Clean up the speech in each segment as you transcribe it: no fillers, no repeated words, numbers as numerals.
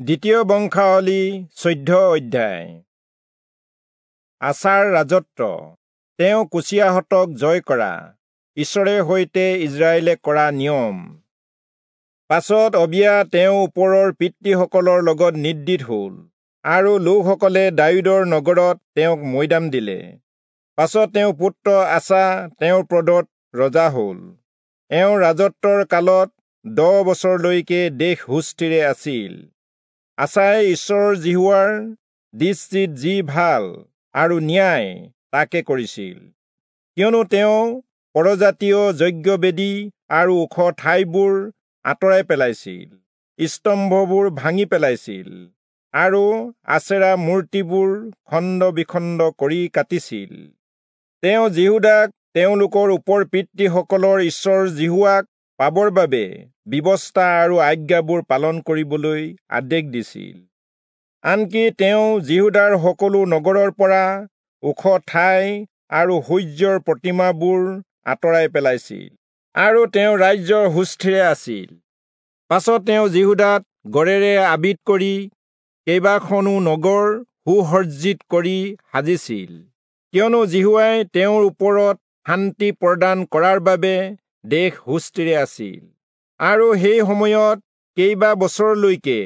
দ্বিতীয় বংশাৱলী 14 অধ্যায়। আচাৰ ৰাজত্ব, তেওঁ কুচিয়াহঁতক জয় কৰা, ঈশ্বৰে সৈতে ইজৰাইলে কৰা নিয়ম। পাছত অবিয়া তেওঁ ওপৰৰ পিতৃসকলৰ লগত নিদ্ৰিত হ'ল, আৰু লোকসকলে দায়ূদৰ নগৰত তেওঁক মৈদাম দিলে। পাছত তেওঁ পুত্ৰ আচা তেওঁৰ পদত ৰজা হ'ল। এওঁৰ ৰাজত্বৰ কালত 10 বছৰলৈকে দেশ সুস্থিৰে আছিল। আচাই ঈশ্বৰ যিহোৱাৰ দৃষ্টিত যি ভাল আৰু ন্যায় তাকে কৰিছিল, কিয়নো তেওঁ পৰজাতীয় যজ্ঞবেদী আৰু ওখ ঠাইবোৰ আঁতৰাই পেলাইছিল, স্তম্ভবোৰ ভাঙি পেলাইছিল আৰু আচেৰা মূৰ্তিবোৰ খণ্ড বিখণ্ড কৰি কাটিছিল। তেওঁ যিহূদাক তেওঁলোকৰ ওপৰ পিতৃসকলৰ ঈশ্বৰ যিহোৱাক পাবৰ বাবে ব্যৱস্থা আৰু আজ্ঞাবোৰ পালন কৰিবলৈ আদেশ দিছিল। আনকি তেওঁ যিহূদাৰ সকলো নগৰৰ পৰা ওখ ঠাই আৰু সূৰ্যৰ প্ৰতিমাবোৰ আঁতৰাই পেলাইছিল, আৰু তেওঁ ৰাজ্যৰ সুস্থিৰে আছিল। পাছত তেওঁ যিহূদাত গড়েৰে আবিত কৰি কেইবাখনো নগৰ সুসজ্জিত কৰি সাজিছিল, কিয়নো যিহোৱাই তেওঁৰ ওপৰত শান্তি প্ৰদান কৰাৰ বাবে দেশ সুস্থিৰে আছিল। আৰু সেই সময়ত কেইবা বছৰলৈকে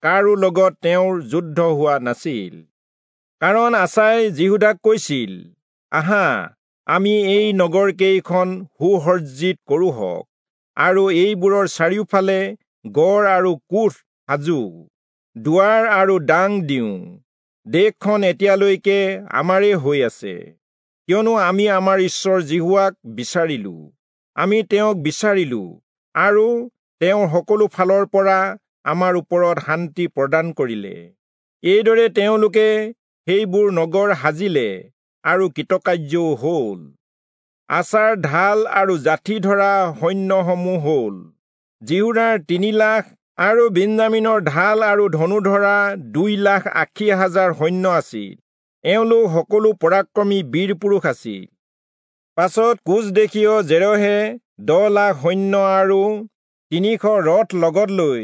কাৰো লগত তেওঁৰ যুদ্ধ হোৱা নাছিল। কাৰণ আচাই যিহূদাক কৈছিল, আহা, আমি এই নগৰকেইখন সুসজ্জিত কৰোঁহক আৰু এইবোৰৰ চাৰিওফালে গড় আৰু কোঠ সাজো, দুৱাৰ আৰু দাং দিওঁ। দেশখন এতিয়ালৈকে আমাৰে হৈ আছে, কিয়নো আমি আমাৰ ঈশ্বৰ যিহোৱাক বিচাৰিলো। আমি তেওঁক বিচাৰিলো আৰু তেওঁৰ সকলো ফালৰ পৰা আমাৰ ওপৰত শান্তি প্ৰদান কৰিলে। এইদৰে তেওঁলোকে সেইবোৰ নগৰ সাজিলে আৰু কৃতকাৰ্যও হ'ল। আচাৰ ঢাল আৰু জাঠি ধৰা সৈন্যসমূহ হ'ল যিহূদাৰ 3 লাখ আৰু বিন্যামীনৰ ঢাল আৰু ধনু ধৰা 2,80,000 সৈন্য আছিল। এওঁলোক সকলো পৰাক্ৰমী বীৰ পুৰুষ আছিল। পাছত কোচ দেশীয় জেৰহে 10 লাখ সৈন্য আৰু 300 ৰথ লগত লৈ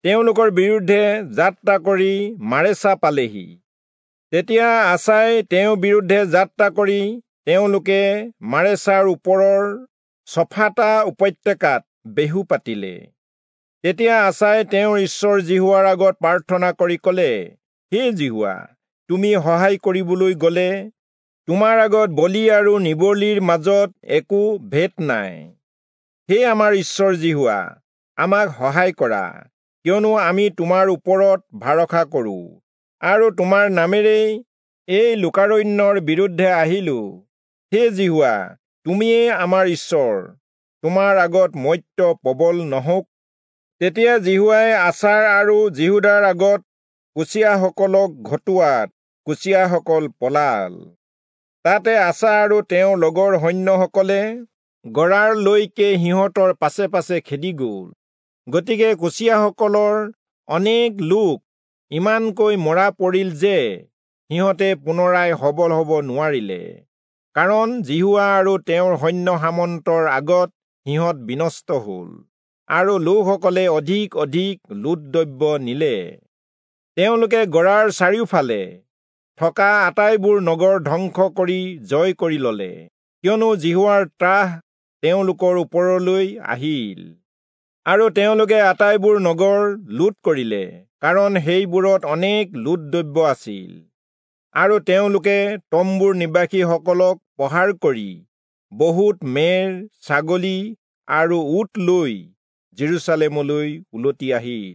তেওঁলোকৰ বিৰুদ্ধে যাত্ৰা কৰি মাৰেচা পালেহি। তেতিয়া আচাই তেওঁৰ বিৰুদ্ধে যাত্ৰা কৰি তেওঁলোকে মাৰেচাৰ ওপৰৰ চফাতা উপত্যকাত বেহু পাতিলে। তেতিয়া আচাই তেওঁৰ ঈশ্বৰ যিহোৱাৰ আগত প্ৰাৰ্থনা কৰি ক'লে, হে যিহোৱা, তুমি সহায় কৰিবলৈ গ'লে তোমাৰ আগত বলি আৰু নিবলিৰ মাজত একো ভেদ নাই। হে আমাৰ ঈশ্বৰ যিহোৱা, আমাক সহায় কৰা, কিয়নো আমি তোমাৰ ওপৰত ভৰসা কৰোঁ আৰু তোমাৰ নামেৰেই এই লোকাৰণ্যৰ বিৰুদ্ধে আহিলো। হে যিহোৱা, তুমিয়েই আমাৰ ঈশ্বৰ, তোমাৰ আগত মৰ্ত্য প্ৰবল নহওক। তেতিয়া যিহোৱাই আচাৰ আৰু যিহূদাৰ আগত কুচিয়াসকলক ঘটোৱাত কুচিয়াসকল পলাল। তাতে আচা আৰু তেওঁৰ লগৰ সৈন্যসকলে গৰাৰলৈকে সিহঁতৰ পাছে পাছে খেদি গ'ল। গতিকে কুচিয়াসকলৰ অনেক লোক ইমানকৈ মৰা পৰিল যে সিহঁতে পুনৰাই সবল হ'ব নোৱাৰিলে, কাৰণ যিহোৱা আৰু তেওঁৰ সৈন্য সামন্তৰ আগত সিহঁত বিনষ্ট হ'ল আৰু লোকসকলে অধিক অধিক লুটদ্ৰব্য নিলে। তেওঁলোকে গৰাৰ চাৰিওফালে থকা আটাইবোৰ নগৰ ধ্বংস কৰি জয় কৰি ললে, কিয়নো যিহোৱাৰ ত্ৰাস তেওঁলোকৰ ওপৰলৈ আহিল। আৰু তেওঁলোকে আটাইবোৰ নগৰ লুট কৰিলে, কাৰণ সেইবোৰত অনেক লুটদ্ৰব্য আছিল। আৰু তেওঁলোকে তম্বুৰ নিবাসীসকলক প্ৰহাৰ কৰি বহুত মেৰ, ছাগলী আৰু উট লৈ জেৰুচালেমলৈ উলটি আহিল।